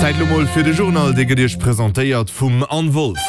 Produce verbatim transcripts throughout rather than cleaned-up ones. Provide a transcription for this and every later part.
Zäit lo mol fir de Journal, dee gëtt Iech presentéiert vum Anne Wolff.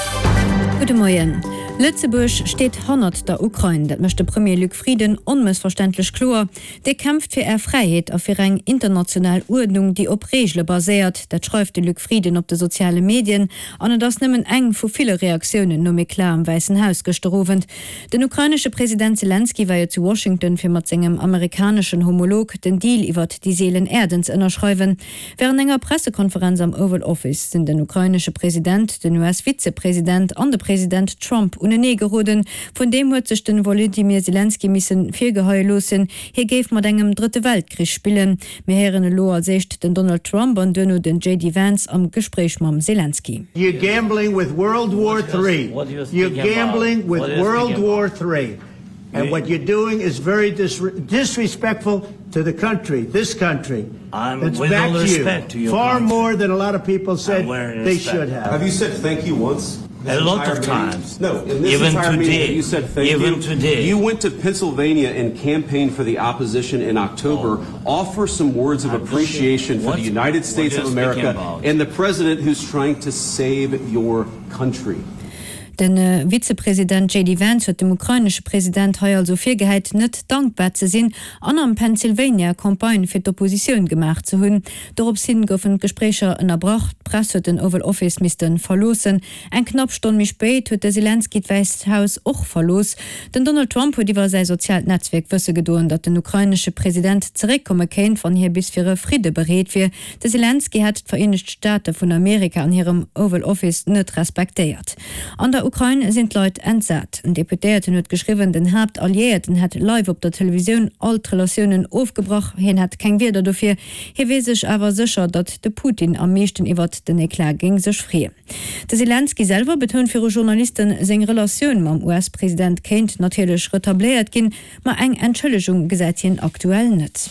Gudde Moien. Lëtzebuerg steet hannert der Ukrain, dat mécht de Premier Luc Frieden onmëssverständlech kloer. Dir kämpft fir Är Fräiheet a fir eng international Uerdnung, déi op Reegele baséiert. Dat schreift de Luc Frieden op de soziale Medien an et ass nëmmen eng vu ville Reaktiounen nom Eclat am Wäissen Haus gëschter Owend. Den ukrainesche President Selenskyj war jo zu Washington, fir mat sengem amerikaneschen Homolog den Deal iwwert déi seelen Äerden ze ënnerschreiwen. Wärend enger Pressekonferenz am Oval Office sinn den ukrainesche President, den U S-Vizepresident an de President Trump unenee geroden. Vun deem huet sech de Wolodymyr Selenskyj misse virgeheie loossen, hie géif mat engem Drëtte Weltkrich spillen. Mir héieren elo als éischt den Donald Trump an duerno den J D Vance am Gespréich mam Selenskyj. You're gambling with World War Three. You're gambling with World War Three. And what you're doing is very dis disrespectful to the country, this country. I'm That's with all backed you respect to your far country. more than a lot of people said I'm wearing they respect. should have. Have you said thank you once? This A lot entire of meeting? times. No, in this Even entire meeting, today. have you said thank Even you? today. You went to Pennsylvania and campaigned for the opposition in October. Offer some words of I'm appreciation for what- the United what States you're of speaking America about. and the president who's trying to save your country. De Vizepresident J D Vance huet dem ukrainesche President hei also virgehäit, net dankbar ze sinn an am Pennsylvania Campagne fir d'Oppositioun gemaach ze hunn. Dorops hin goufen d'Gespréicher ënnerbrach, d'Press huet den Oval Office misste verloossen. Eng knapp Stonn méi spéit huet de Selenskyj d'Wäisst Haus och verlooss. Den Donald Trump huet iwwer säi soziaalt Netzwierk wësse gedoen, datt den ukrainesche President zeréckkomme kéint, wann hie bis fir e Fridde bereet wier. De Selenskyj hätt d'Vereenegt Staate vun Amerika an hirem Oval Office net respektéiert. An der Ukrain sinn d'Leit entsat. En Deputéierten huet geschriwwen, den Haaptalliéierten hätt live op der Televisioun all d'Relatiounen ofgebrach, hien hätt keng Wierder dofir. Hie wier sech awer sécher, datt de Putin am meeschten iwwert den Eclat géing sech freeën. De Selenskyj selwer betount viru Journalisten, seng Relatioun mam U S-President kéint natierlech retabléiert ginn, ma eng Entschëllegung gesäit hien aktuell net.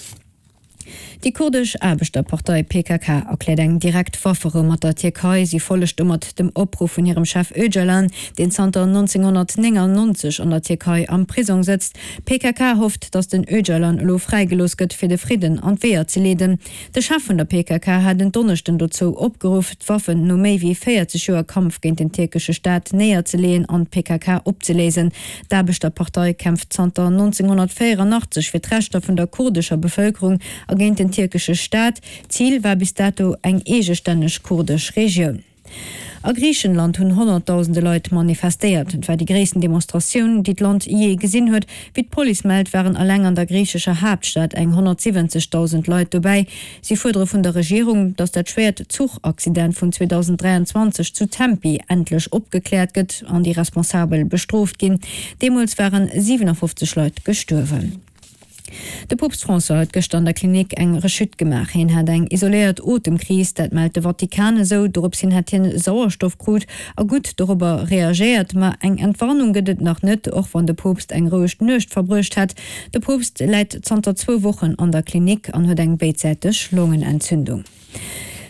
Déi kurdesch Aarbechterpartei P K K erkläert eng direkt Wafferou mat der Tierkei. Si follegt domat dem Opruff vun hirem Chef Öcalan, deen zanter nonzénghonnertnéngannonzeg an der Tierkei am Prisong sëtzt. D'P K K hofft, datt den Öcalan elo fräigelooss gëtt, fir de Fridden an d'Weeër ze leeden. De Chef vun der P K K hat en Donneschden dozou opgeruff, d'Waffen no méi wéi véierzeg Joer Kampf géint den tierkesche Staat néierzeleeën an d'P K K opzeléisen. D'Aarbechterpartei kämpft zanter nonzénghonnertvéieranachtzeg fir d'Rechter vun der kurdescher Bevëlkerung a géint den tierkesche Staat. Zil war bis dato eng eegestänneg kurdesch Regioun. A Griichenland hunn honnertdausende Leit manifestéiert. Et war déi gréissten Demonstratioun, déi d'Land jee gesinn huet. Wéi d'Police mellt, waren eleng an der griichescher Haaptstad eng honnertsiwwenzegdausend Leit dobäi. Si fuerdere vun der Regierung, datt dat schwéiert Zuchaccident vun zweedausend dräianzwanzeg zu Tempi endlech opgekläert gëtt an déi Responsabel bestrooft ginn. Deemools ware siwenafoffzeg Leit gestuerwen. De Poopst François huet gëschter an der Klinik eng Rechute gemaach. Hien hat eng isoléiert Otemkris, dat mellt de Vatikan esou. Dorops hin hätt hien Sauerstoff krut a gutt dorobber reagéiert, ma eng Entwarnung gëtt et nach net, och wann de Poopst eng roueg Nuecht verbruecht hätt. De Poopst läit zanter zwou Wochen an der Klinik an huet eng béidsäiteg Longenentzündung.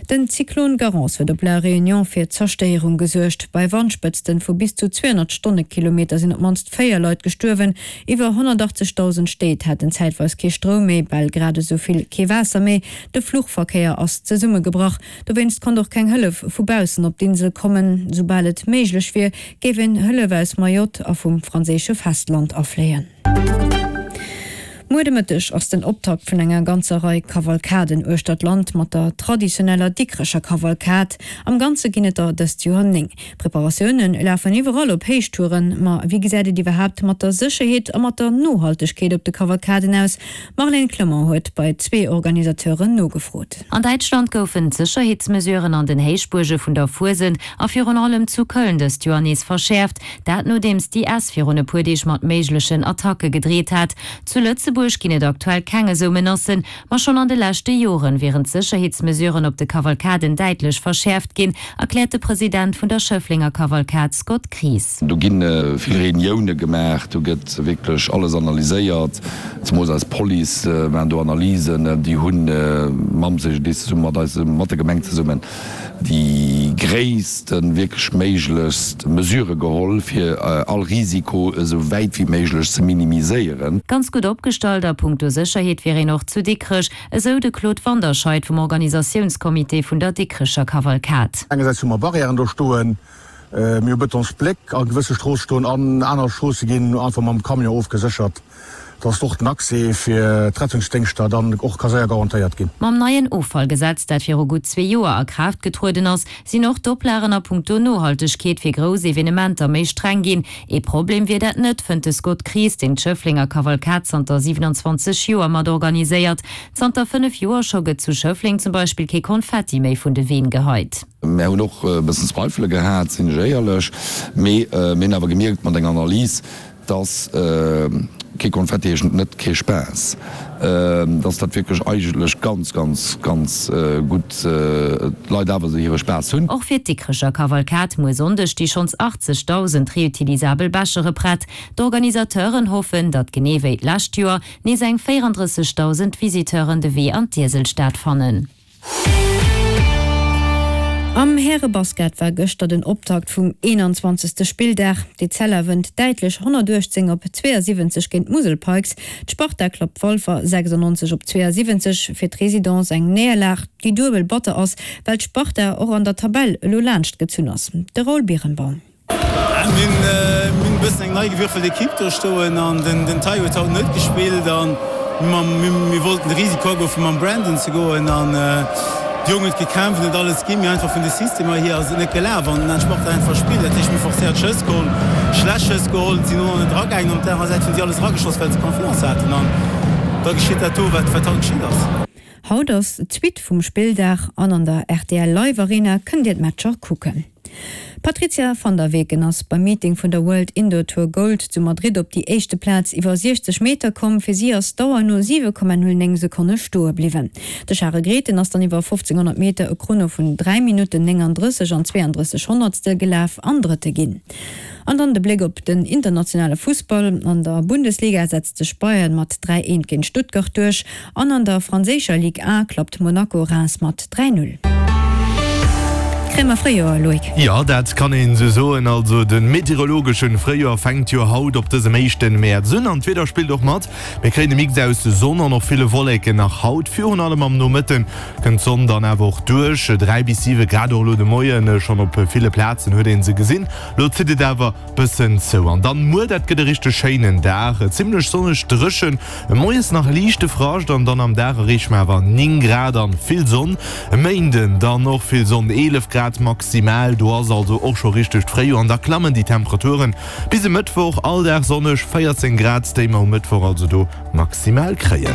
Den Zyklon Garance huet op La Réunion fir Zerstéierung gesuergt. Bei Wandspëtzte vu bis zu zweehonnert Stonnekilometer sinn op d'mannst véier Leit gestuerwen. Iwwer honnertachtzegdausend Stéit haten zäitweis kee Stroum méi, bal grad esou vill kee Waasser méi. De Fluchverkéier ass zesummegebrach. Dowéinst konnt och keng Hëllef vu baussen op d'Insel kommen. Soubal et méiglech wier, géif een Hëllef aus Mayotte a vum franséische Festland afléien. Muer de Mëtteg ass den Optakt vun enger ganzer Rei Kavalkaden uechter d'Land mat der traditioneller Dikrecher Kavalkad. Am Ganze ginn et der dëst Joer néng. Preparatioune lafen iwwerall op Héichtouren, ma wéi gesäit et iwwerhaapt mat der Sécherheet a mat der Nohaltegkeet op de Kavalkaden aus? Marlène Clement huet bei zwee Organisateuren nogefrot. An Däitschland goufen d'Sécherheetsmesuren an den Héichbuerge vun der Fuesent a virun allem zu Köln dëst Joer nees verschäerft, dat nodeems d'I S virun e puer Deeg mat méiglechen Attacke gedreet hat. Zu Lëtzebuerg ginn et aktuell keng esou Menacen, ma schonn an de leschte Joren wieren d'Sécherheetsmesuren op de Kavalkaden däitlech verschäerft ginn, erkläert de President vun der Schëfflenger Kavalkad Scott Kries. Do ginn vill Reunioune gemaach, do gëtt wierklech alles analyséiert, zemools eis Police maachen do Analysen, déi hunn mam C G D I S zesumme mat eis mat der Gemeng zesummen déi déi gréisste wierklech méiglechst Mesurë geholl, fir all Risiko esou wäit wéi méiglech ze minimiséieren. Ganz gutt opgestallt a punkto Sécherheet wier een och zu Dikrech, esou de Claude Wanderscheid vum Organisatiounscomité vun der Dikrecher Kavalkad. Engersäits hu mer Barrièren do stoen, mir hu Betonsbléck a gewësse Stroosse stoen an aner Stroosse ginn einfach mam Camion ofgeséchert, dass och den Accès fir d'Rettungsdéngschter dann och ka séier garantéiert ginn. Mam neien Offallgesetz, dat viru gutt zwee Joer a Kraaft getrueden ass, sinn och d'Oplagen a punkto Nohaltegkeet fir grouss Evenementer méi streng ginn. Ee Problem wier dat net, fënnt de Scott Kries, deen d'Schëfflenger Kavalkad zanter siewenundzwanzeg Joer mat organiséiert. Zanter fënnef Joer scho gëtt zu Schëffleng zum Beispill kee Konfetti méi vun de Ween geheit. Mär hunn och e bëssen Zweifele gehat, sinn ech éierlech, mee mir hunn awer gemierkt mat enger Analys, dass kee Konfetti heescht net kee Spaass, dass dat wierklech eigentlech ganz, ganz, ganz gutt d'Leit awer esou hire Spaass hunn. Och fir d'Dikrecher Kavalkad muer Sonndeg sti schonns achtzegdausend reutilisabel Bechere prett. D'Organisateuren hoffen, datt genee wéi d'lescht Joer nees eng véierandrëssegdausend Visiteuren de Wee an d'Ieselstad fannen. Am Härebasket war gëschter den Optakt vum eenanzwanzegste Spilldag. D'Etzella wënnt däitlech honnertuechtzéng op zweeësiwwenzeg géint d'Musel Pikes. D'Sparta klappt Walfer sechsundneunzeg op zweeësiwwenzeg. Fir d'Residence eng Néierlag, déi duebel batter ass, well d'Sparta och an der Tabell elo laanscht gezunn ass. De Raoul Birenbaum. Mir hunn e bëssen eng nei gewürfelt Ekipp do stoen an den Tayo huet haut net gespillt an mir wollten de Risiko agoen fir mam Brandon ze goen an d'Jong huet gekämpft, huet alles ginn, mee einfach vun de Systemer hier ass et net gelaf an dann hat d'Sparta einfach verspillt. Dat heescht mir hu forcéiert Schëss geholl, schlecht Schëss geholl, sinn och net eragaangen. Op der anerer Säit hunn si alles erageschoss well se Confiance haten an da geschitt dat do wat haut geschitt ass. Haut ass d'Suite vum Spilldag an an der R T L Live Arena kënnt Dir d'Matcher kucken. D'Patrizia van der Weken ass beim Meeting vun der World Indoor Tour Gold zu Madrid op déi éischte Plaz iwwer siechzeg Meter komm. Fir si ass d'Dauer no siwe Komma null néng Sekonne stoe bliwwen. De Charel Grethen ass dann iwwer fofzénghonnert Meter e Chrono vun dräi Minutten néngandrësseg an zweeandrësseg Honnertstel gelaf an Drëtte ginn. An dann de Bléck op den internationale Fussball, An der Bundesliga setzt sech Bayern mat dräi eent géint Stuttgart duerch an an der franséischer Ligue A klappt Monaco Reims mat dräi null. Kréie mer Fréijoer, Loïc? Jo, dat kann een esou soen. Also de meteorologeschen Fréijoer fänkt jo haut op dësem éischten Mäerz un an d'Wieder spillt och mat. Mir kréien e Mix aus Sonn an och ville Wolleken nach haut. Virun allem am Nomëtten kënnt d'Sonn dann awer och duerch. Dräi bis siwe Grad och elo de Moien schonn op ville Plazen huet een se gesinn. Lo zitt et awer bëssen zou. An dann muer, dat gëtt e richteg schéinen Dag, zimmlech sonneg, dréchen, moies nach liichte Frascht an dann am Dag erreeche mer awer néng Grad an vill Sonn. E Méinden dann och vill Sonn, eelef Grad maximal, do ass also och scho richtegt Fréijoer an da klammen déi Temperaturen bis e Mëttwoch, all Dag sonneg, véierzéng Grad, déi mer um Mëttwoch also do maximal kréien.